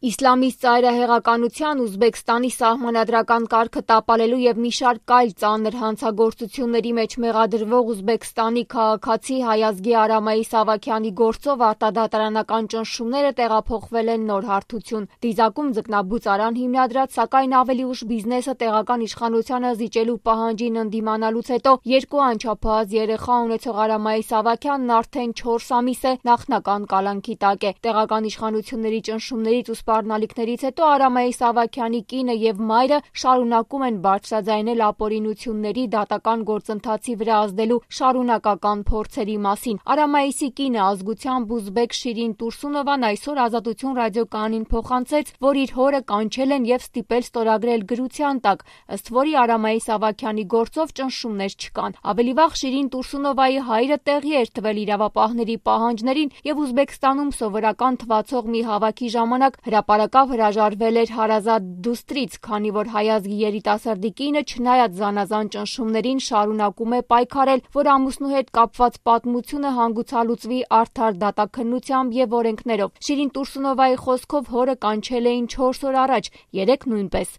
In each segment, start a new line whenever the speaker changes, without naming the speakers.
Իսլամիստ ծայրահեղականության, Ուզբեկստանի սահմանադրական կարգը տապալելու և մի շարք այլ ծանր հանցագործությունների մեջ մեղադրվող Ուզբեկստանի քաղաքացի հայազգի Արամայի Սավաքյանի գործով արտադատարանական ճնշումները տեղափոխվել են նոր հարթություն։ Դիզակում ձկնաբուծարան հիմնադրած, սակայն ավելի ուշ բիզնեսը տեղական իշխանությանը զիջելու պահանջին ընդդիմանալուց հետո 2 անչափահաս երեխա ունեցող Արամայի Սավաքյանն արդեն 4 ամիս է նախնական կալանքի տակ է։ Տեղական իշխանությունների ճնշումներից ու սպառնալիքներից հետո Արամայի Սավաքյանի կինը և մայրը շարունակում են բարձրաձայնել ապօրինությունների դատական գործընթացի վրա ազդելու շարունակական փորձերի մասին։ Արամայիսի կինը ազգությամբ ուզբեկ Շիրին Տուրսունովան այսօր Ազատություն ռադիոկայանին փոխանցեց, որ իր հորը կանչել են և ստիպել ստորագրել գրության տակ, ըստ որի Արամայի Սավաքյանի գործով ճնշումներ չկան։ Ավելի վաղ Շիրին Տուրսունովայի հայրը տեղի էր տվել իրավապահների պահանջներին և Ուզբեկստանում սովորական թվացող մի հավաքի ժամանակ հրապարակավ հրաժարվել էր հարազատ դուստրից, քանի որ հայազգի երիտասարդի կինը չնայած զանազան ճնշումներին շարունակում է պայքարել, որ ամուսնու հետ կապված պատմությունը հանգուցալուծվի արդար դատաքննությամբ և օրենքներով։ Շիրին Տուրսունովայի խոսքով հորը կանչել էին 4 օր առաջ, 3 նույնպես։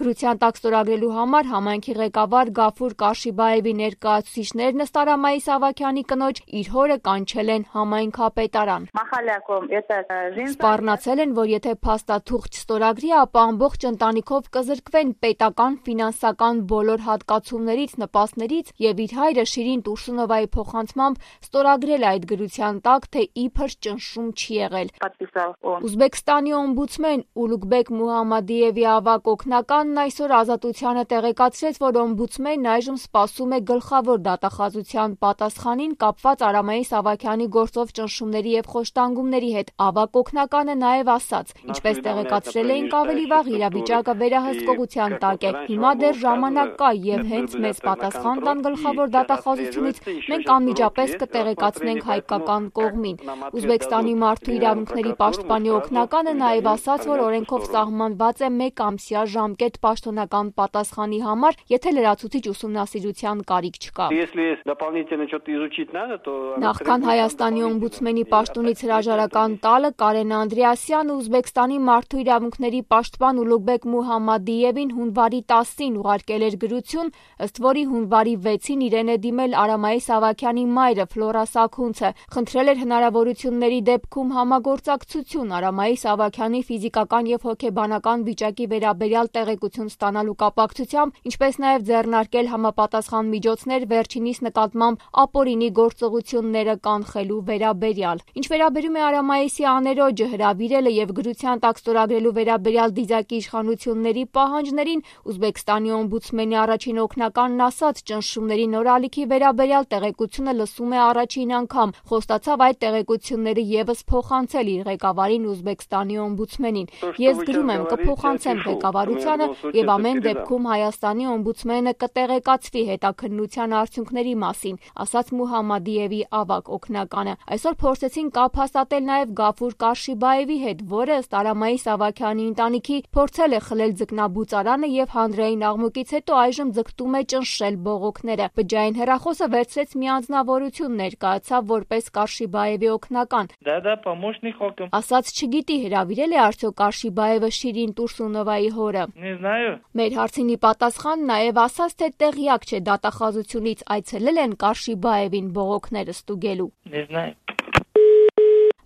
Գրության տակ ստորագրելու համար համայնքի ղեկավար Գաֆուր Կարշիբաևի ներկայացուցիչներն ըստ Արամայի Սավաքյանի կնոջ իր հորը կանչել են համայնքապետարան։ Սպառնացել են, որ եթե փաստաթուղթ չստորագրի, ապա ամբողջ ընտանիքով կզրկվեն պետական ֆինանսական բոլոր հատկացումներից, նպաստներից և իր հայրը Շիրին Տուրսունովայի փոխանցմամբ ստորագրել այդ գրության տակ, թե իբր ճնշում չի եղել։ Ուզբեկստանի օմբուդսմեն Ուլուգբեկ Մուհամմադիևի ավագ օգնականն այսօր Ազատությանը տեղեկացրեց, որ օմբուդսմենն այժմ սպասում է գլխավոր դատախազության պատասխանին կապված Արամայի Սավաքյանի գործով ճնշումների և խոշտանգումների հետ։ Ավագ օգնականը նաև ասաց. ինչպես տեղեկացրել էինք ավելի վաղ, իրավիճակը վերահսկողության տակ է։ Հիմա դեռ ժամանակ կա և հենց մեզ պատասխան տան գլխավոր դատախազությունից մենք անմիջապես կտեղեկացնենք հայկական կողմին։ Ուզբեկստանի մարդու իրավունքների պաշտպանի օգնականը նաև ասաց, որ օրենքով սահմանված է 1 ամսյա ժամկետ պաշտոնական պատասխանի համար, եթե լրացուցիչ ուսումնասիրության կարիք չկա։ Նախքան Հայաստանի օմբուդսմենի պաշտոնից հրաժարական տալը Կարեն Անդրեասյանը Ուզբեկստանի մարդու իրավունքների պաշտպան Ուլուգբեկ Մուհամմադիևին հունվարի 10-ին ուղարկել էր գրություն, ըստ որի հունվարի 6-ին իրեն է դիմել Արամայի Սավաքյանի մայրը Ֆլորա Սաքունցը, խնդրել էր հնարավորությունների դեպքում համագործակցություն Արամայի Սավաքյանի ֆիզիկական և հոգեբանական վիճակի վերաբերյալ տեղեկություն ստանալու կապակցությամբ, ինչպես նաև ձեռնարկել համապատասխան միջոցներ վերջինիս նկատմամբ ապօրինի գործողությունները կանխելու վերաբերյալ։ Ինչ վերաբերում է Արամայիսի աներոջը հրավիրելը և գրության տակ ստորագրելու վերաբերյալ դիզակի իշխանությունների պահանջներին, Ուզբեկստանի օմբուդսմենի առաջին օգնականն ասաց, ճնշումների նոր ալիքի վերաբերյալ տեղեկությունը լսում է առաջին անգամ, խոստացավ այդ տեղեկությունները ևս փոխանցել իր ղեկավարին Ուզբեկստանի օմբուդսմենին։ Ես գրում եմ, կփոխանցեմ ղեկավարությանը և ամեն դեպքում Հայաստանի օմբուդսմենը կտեղեկացվի հետաքննության արդյունքների մասին, ասաց Մուհամմադիևի ավագ օգնականը։ Այսօր փորձեցին կապ հաստատել նաև Գաֆուր Կարշիբաևի հետ, որը ըստ Արամայի Սավաքյանի ընտանիքի փորձել է խլել ձկնաբուծարանը և հանրային աղմուկից հետո այժմ ձգտում է ճնշել բողոքները։ Բջջային հեռախոսը վերցրեց մի անձնավորություն, ներկայացավ որպես Կարշիբաևի օգնական։ Ասաց չգիտի հրավիրել է արդյոք Կարշիբաևը Շիրին Տուրսունովայի հորը։ Մեր հարցին ի պատասխան նաև ասաց, թե տեղյակ չէ դատախազությունից այցելել են Կարշիբաևին բողոքները ստուգելու։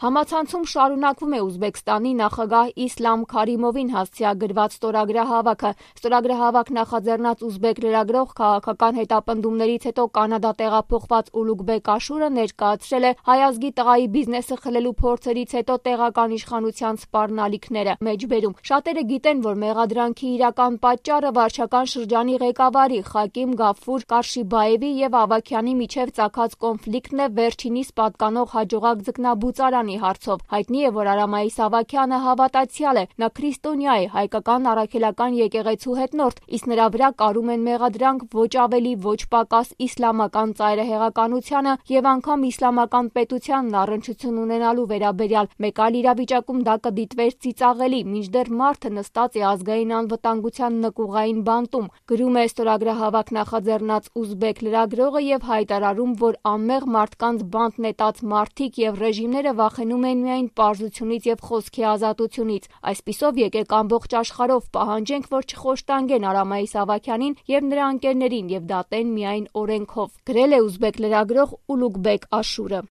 Համացանցում շարունակվում է Ուզբեկստանի նախագահ Իսլամ Քարիմովին հասցեագրված ստորագրահավաքը։ Ստորագրահավաք նախաձեռնած ուզբեկ լրագրող քաղաքական հետապնդումներից հետո Կանադա տեղափոխված Ուլուգբեկ Աշուրը ներկայացրել է հայազգի տղայի բիզնեսը խլելու փորձերից հետո տեղական իշխանության սպառնալիքները։ Մեջբերում շատերը գիտեն, որ մեղադրանքի իրական պատճառը վարչական շրջանի ղեկավարի Խակիմ Գաֆուր Կարշիբաևի և Ավագյանի միջև ծագած կոնֆլիկտն է վերջինիս պատկանող հաջողակ ձկնաբուծարանի հարցով։ Հայտնի է, որ Արամայի Սավաքյանը հավատացյալ է, նա քրիստոնյա է, հայկական առաքելական եկեղեցու հետնորդ, իսկ նրա վրա կարում են մեղադրանք ոչ ավելի ոչ պակաս իսլամական ծայրահեղականությանը և անգամ իսլամական պետությանն առնչություն ունենալու վերաբերյալ։ Մեկ այլ իրավիճակում դա կդիտվեր ծիծաղելի, մինչդեռ մարդը նստած է ազգային անվտանգության նկուղային բանտում, գրում է ստորագրահավաք նախաձեռնած ուզբեկ լրագրողը և հայտարարում, որ անմեղ մարդկանց բանտ նետած մարդիկ և ռեժիմները վախենում վախենում են միայն պարզությունից եւ խոսքի ազատությունից։ Այսպիսով եկեք ամբողջ աշխարհով պահանջենք, որ չխոշտանգեն Արամայիս Ավագյանին եւ նրա ընկերներին եւ դատեն միայն օրենքով, գրել է ուզբեկ լրագրող Ուլուգբեկ Աշուրը։